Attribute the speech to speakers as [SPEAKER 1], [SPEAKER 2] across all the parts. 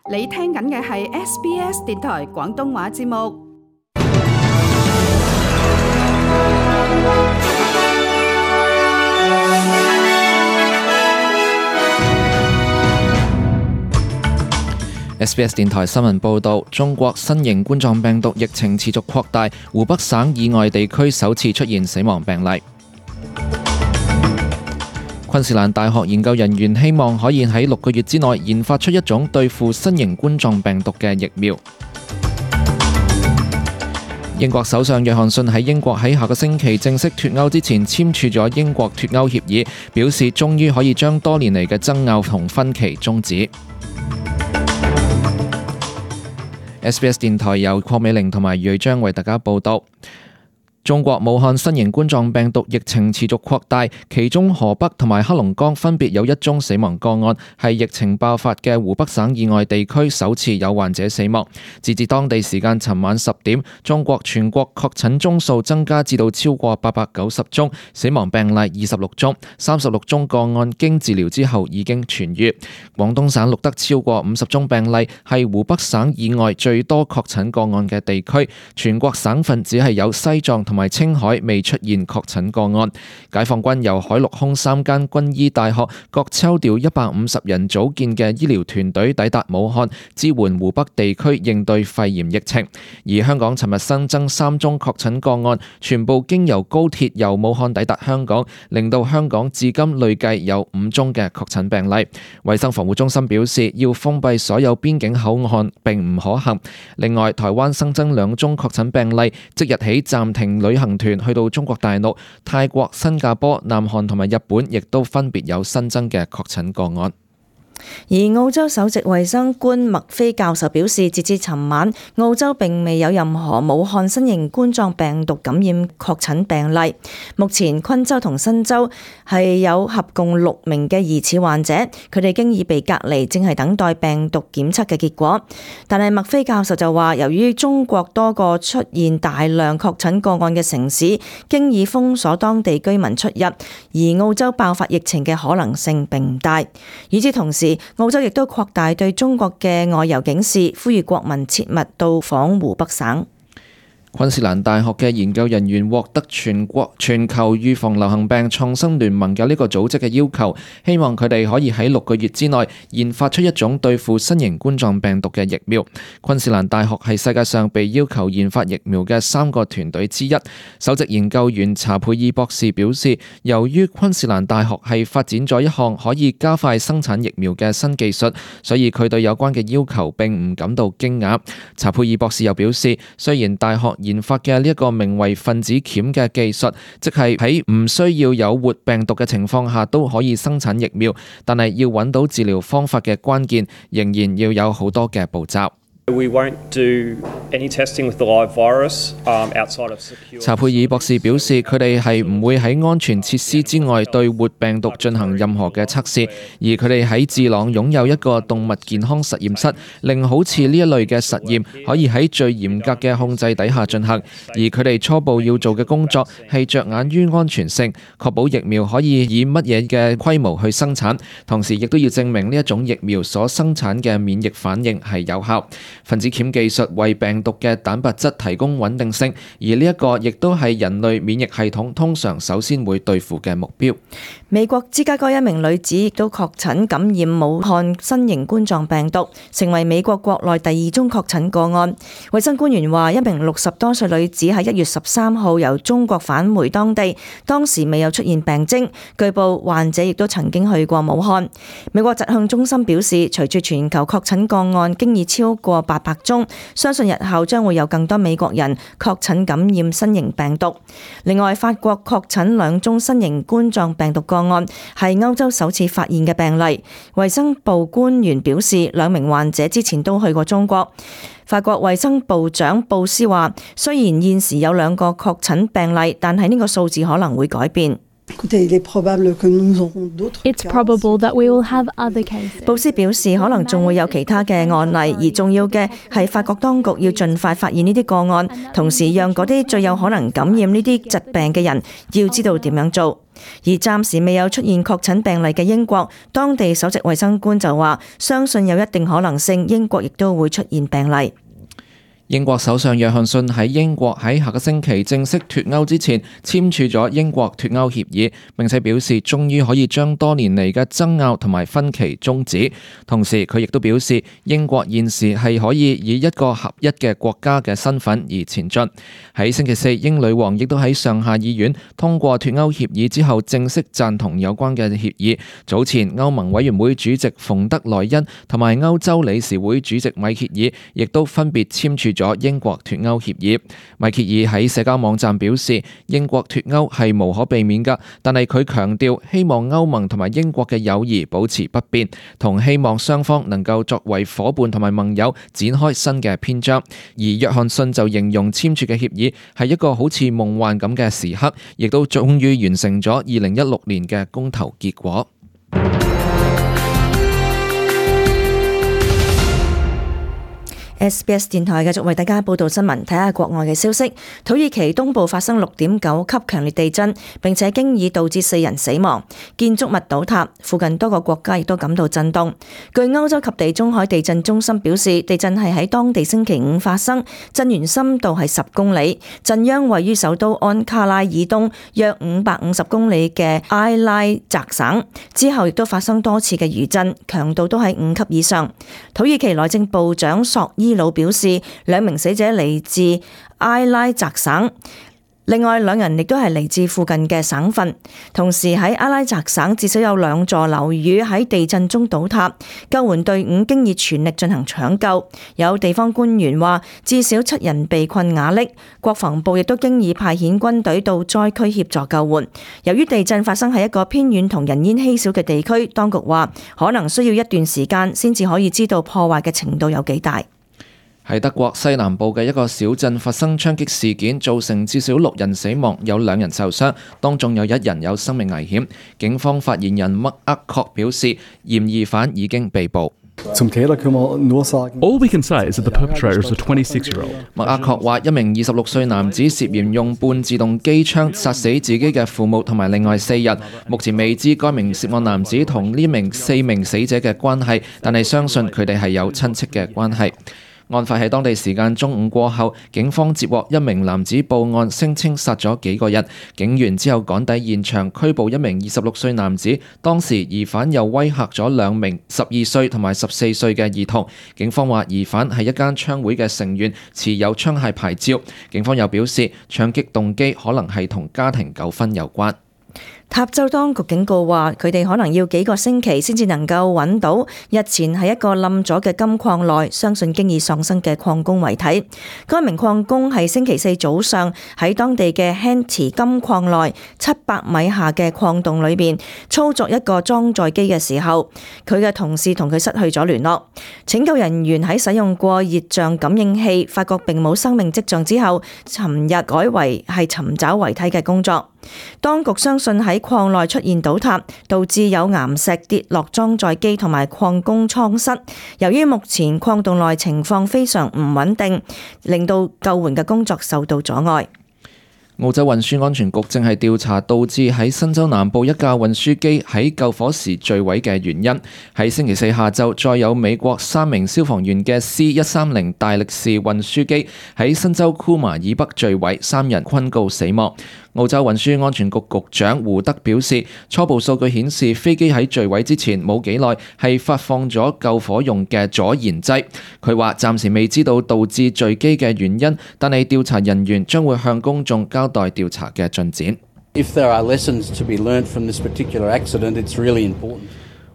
[SPEAKER 1] 你聽緊嘅係 SBS 電台廣東話節目。
[SPEAKER 2] SBS 電台新聞報導，中國新型冠狀病毒疫情持續擴大，湖北省以外地區首次出現死亡病例。昆士蘭大學研究人員希望可以喺6個月之內研發出一種對付新型冠狀病毒嘅疫苗。英國首相約翰遜喺英國喺下個星期正式脫歐之前簽署咗英國脫歐協議，表示終於可以將多年嚟嘅爭拗同分歧終止。SBS 電台由鄺美玲同埋瑞章為大家報道。中國武漢新型冠狀病毒疫情持續擴大，其中河北同埋黑龍江分別有1宗死亡個案，係疫情爆發嘅湖北省以外地區首次有患者死亡。截至當地時間尋晚10點，中國全國確診宗數增加至到超過890宗，死亡病例26宗，36宗個案經治療之後已經痊癒。廣東省錄得超過50宗病例，係湖北省以外最多確診個案嘅地區。全國省份只係有西藏同埋青海未出現確診個案。解放軍由海陸空3間軍醫大學各抽調150人組建嘅醫療團隊抵達武漢，支援湖北地區應對肺炎疫情。而香港尋日新增3宗確診個案，全部經由高鐵由武漢抵達香港，令到香港至今累計有5宗嘅確診病例。衛生防護中心表示，要封閉所有邊境口岸並唔可行。另外，台灣新增2宗確診病例，即日起暫停旅行團去到中國大陸。泰國、新加坡、南韓同埋日本亦都分別有新增嘅確診個案。
[SPEAKER 3] 而澳洲首席衛生官麥菲教授表示，截至尋晚，澳洲並未有任何武漢新型冠狀病毒感染確診病例。目前昆州同新州係有合共6名嘅疑似患者，佢哋經已被隔離，正係等待病毒檢測嘅結果。但係麥菲教授就話，由於中國多個出現大量確診個案嘅城市經已封鎖當地居民出入，而澳洲爆發疫情嘅可能性並唔大。與此同時，澳洲亦都擴大對中國嘅外遊警示，呼籲國民切勿到訪湖北省。
[SPEAKER 2] 昆士蘭大學嘅研究人員獲得全球預防流行病創新聯盟嘅呢個組織嘅要求，希望佢哋可以喺6個月之內研發出一種對付新型冠狀病毒嘅疫苗。昆士蘭大學係世界上被要求研發疫苗嘅3個團隊之一。首席研究員查佩爾博士表示，由於昆士蘭大學係發展咗一項可以加快生產疫苗嘅新技術，所以佢對有關嘅要求並唔感到驚訝。查佩爾博士又表示，雖然大學研發嘅呢一個名為分子鉗嘅技術，即係喺唔需要有活病毒嘅情況下都可以生產疫苗，但係要揾到治療方法嘅關鍵，仍然要有好多嘅步驟。查佩爾博士表示，佢哋係唔會喺安全設施之外對活病毒進行任何嘅測試，而佢哋喺智朗擁有一個動物健康實驗室，令好似呢一類嘅實驗可以喺最嚴格嘅控制底下進行。而佢哋初步要做嘅工作係着眼於安全性，確保疫苗可以以乜嘢嘅規模去生產，同時亦都要證明呢一種疫苗所生產嘅免疫反應係有效。分子鉗技術為病毒嘅蛋白質提供穩定性，而呢一個亦都係人類免疫系統通常首先會對付嘅目標。
[SPEAKER 3] 美國芝加哥一名女子亦都確診感染武漢新型冠狀病毒，成為美國國內第2宗確診個案。衛生官員話，一名60多歲女子喺1月13號由中國返回當地，當時未有出現病徵。據報患者亦都曾經去過武漢。美國疾控中心表示，隨住全球確診個案經已超過800宗，相信日後將會有更多美國人確診感染新型病毒。另外，法國確診2宗新型冠狀病毒個案，係歐洲首次發現嘅病例。衛生部官員表示，2名患者之前都去過中國。法國衛生部長布斯話，雖然現時有2個確診病例，但係呢個數字可能會改變。
[SPEAKER 4] It's probable that we will have other cases.
[SPEAKER 3] 布斯表示，可能仲會有其他嘅案例，而重要嘅係法國當局要盡快發現呢啲個案，同時讓嗰啲最有可能感染呢啲疾病嘅人要知道點樣做。而暫時未有出現確診病例嘅英國，當地首席衛生官就話，相信有一定可能性英國亦都會出現病例。
[SPEAKER 2] 英國首相約翰遜喺英國喺下個星期正式脫歐之前簽署咗英國脫歐協議，並且表示終於可以將多年嚟嘅爭拗同埋分歧終止。同時佢亦都表示英國現時係可以以一個合一嘅國家嘅身份而前進。喺星期四，英女王亦都喺上下議院通過脫歐協議之後正式贊同有關嘅協議。早前歐盟委員會主席馮德萊恩同埋歐洲理事會主席米歇爾亦都分別簽署咗英國脫歐協議。米歇爾喺社交網站表示，英國脫歐係無可避免㗎，但係佢強調希望歐盟同埋英國嘅友誼保持不變，同希望雙方能夠作為夥伴同埋盟友展開新嘅篇章。而約翰遜就形容簽署嘅協議係一個好似夢幻咁嘅時刻，亦都終於完成咗2016年嘅公投結果。
[SPEAKER 3] SBS 電台繼續為大家報道新聞，睇下國外嘅消息。土耳其東部發生6.9級強烈地震，並且經已導致4人死亡，建築物倒塌，附近多個國家亦都感到震動。據歐洲及地中海地震中心表示，地震係喺當地星期五發生，震源深度係10公里，震央位於首都安卡拉以東約550公里嘅埃拉澤省。之後亦都發生多次嘅餘震，強度都係5級以上。土耳其內政部長索伊魯表示，2名死者嚟自埃拉澤省，另外2人亦都係嚟自附近嘅省份。同時喺埃拉澤省至少有2座樓宇喺地震中倒塌，救援隊伍經已全力進行搶救。有地方官員話，至少7人被困瓦礫，國防部亦都經已派遣軍隊到災區協助救援。由於地震發生喺一個偏遠同人煙稀少嘅地區，當局話可能需要一段時間先至可以知道破壞嘅程度有幾大。
[SPEAKER 2] 喺德國西南部嘅一個小鎮發生槍擊事件，造成至少6人死亡，有2人受傷，當中有1人有生命危險。警方發言人麥厄確表示，嫌疑犯已經被捕。
[SPEAKER 5] All we can say is that the perpetrator is a 26-year-old.
[SPEAKER 2] 麥厄確話，一名26歲男子涉嫌用半自動機槍殺死自己嘅父母同埋另外4人。目前未知該名涉案男子同呢4名死者嘅關係，但係相信佢哋係有親戚嘅關係。案發喺當地時間中午過後，警方接獲1名男子報案，聲稱殺咗幾個人。警員之後趕抵現場，拘捕1名26歲男子。當時疑犯又威嚇咗2名12歲同埋14歲嘅兒童。警方話疑犯係一間槍會嘅成員，持有槍械牌照。警方又表示，槍擊動機可能係同家庭糾紛有關。
[SPEAKER 3] 塔州當局警告話，佢哋可能要幾個星期先至能夠揾到日前喺一個冧咗嘅金礦內，相信經已喪生嘅礦工遺體。該名礦工係星期四早上喺當地嘅 Henty 金礦內700米下嘅礦洞裏邊操作一個裝載機嘅時候，佢嘅同事同佢失去咗聯絡。拯救人員喺使用過熱像感應器，發覺並冇生命跡象之後，尋日改為係尋找遺體嘅工作。當局相信喺礦內出現倒塌，導致有岩石跌落裝載機同埋礦工艙室。由於目前礦洞內情況非常唔穩定，令到救援嘅工作受到阻礙。
[SPEAKER 2] 澳洲運輸安全局正係調查導致喺新州南部一架運輸機喺救火時墜毀嘅原因。喺星期四下晝，再有美國3名消防員嘅 C130 大力士運輸機喺新州庫馬以北墜毀，3人昆告死亡。澳洲運輸安全局局長胡德表示，初步數據顯示飛機喺墜毀之前冇幾耐係發放咗救火用嘅阻燃劑。佢話暫時未知道導致墜機嘅原因，但係調查人員將會向公眾交代調查嘅進展。
[SPEAKER 6] If there are lessons to be learned from this particular accident, it's really important.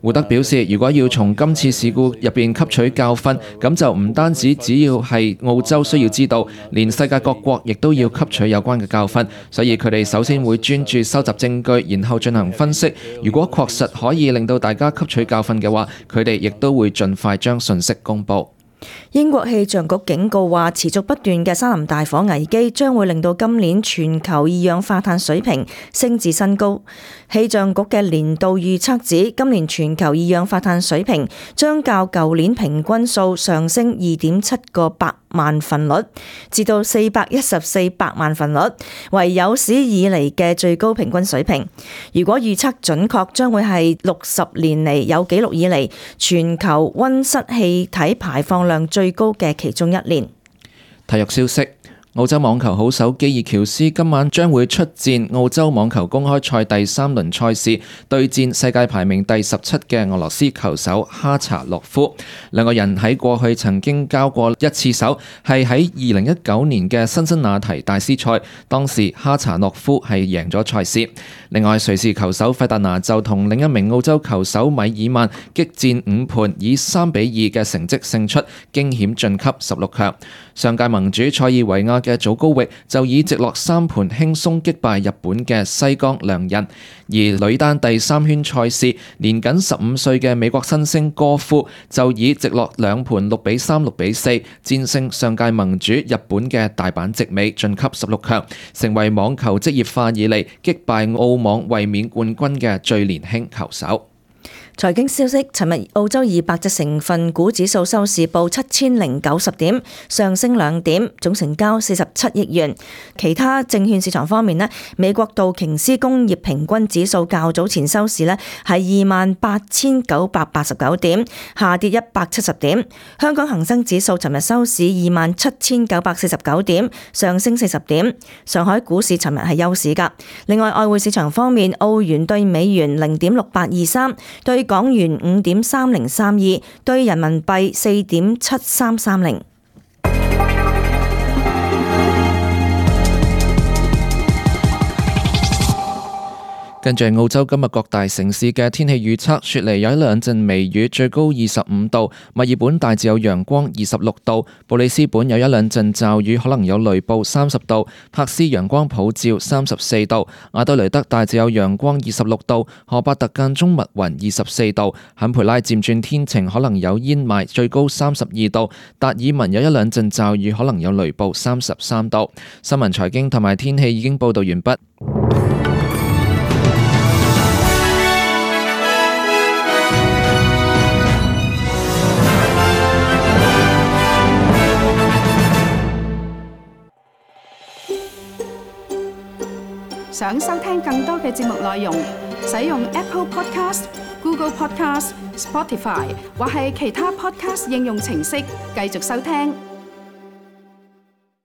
[SPEAKER 2] 胡德表示，如果要從今次事故入邊吸取教訓，咁就唔單止只要係澳洲需要知道，連世界各國亦都要吸取有關嘅教訓。所以佢哋首先會專注收集證據，然後進行分析。如果確實可以令到大家吸取教訓嘅話，佢哋亦都會盡快將信息公佈。
[SPEAKER 3] 英國氣象局警告話，持續不斷嘅山林大火危機將會令到今年全球二氧化碳水平升至新高。氣象局嘅年度預測指，今年全球二氧化碳水平將較舊年平均數上升 2.7 個百萬份率，至到414百萬份率，為有史以嚟嘅最高平均水平。如果預測準確，將會係60年嚟有紀錄以嚟全球溫室氣體排放量最高嘅其中一年。
[SPEAKER 2] 體育消息。澳洲網球好手基爾喬斯今晚將會出戰澳洲網球公開賽第3輪賽事，對戰世界排名第17嘅俄羅斯球手哈查諾夫。兩個人喺過去曾經交過一次手，係喺2019年嘅辛辛那提大師賽，當時哈查諾夫係贏咗賽事。另外，瑞士球手費達拿就同另一名澳洲球手米爾曼激戰5盤，以3-2嘅成績勝出，驚險晉級16強。上屆盟主塞爾維亞嘅祖高域就以直落3盤輕鬆擊敗日本嘅西岡良人，而女單第3圈賽事，年僅15歲嘅美國新星戈夫就以直落2盤6-3、6-4戰勝上屆盟主日本嘅大阪直美，晉級16強，成為網球職業化以嚟擊敗澳網衛冕冠軍嘅最年輕球手。
[SPEAKER 3] 財經消息，尋日澳洲200隻成分股指數收市報7090點，上升2點，總成交47億元。其他證券市場方面呢，美國道瓊斯工業平均指數較早前收市呢係28,989點，下跌170點。香港恒生指數尋日收市27,949點，上升40點。上海股市尋日係休市㗎。另外，外匯市場方面，澳元對美元0.6823，對港元5.3032，對人民幣4.7330。
[SPEAKER 2] 跟住澳洲今日各大城市嘅天氣預測，雪梨有1-2陣微雨，最高25度；墨爾本大致有陽光，26度；布里斯本有1-2陣驟雨，可能有雷暴，30度；珀斯陽光普照，34度；阿德雷德大致有陽光，26度；荷伯特間中密雲，24度；坎培拉漸轉天晴，可能有煙霾，最高32度；達爾文有1-2陣驟雨，可能有雷暴，33度。新聞財經同埋天氣已經報道完畢。
[SPEAKER 1] 想收聽更多嘅節目內容，使用 Apple Podcast、Google Podcast、Spotify 或係其他 Podcast 應用程式繼續收聽。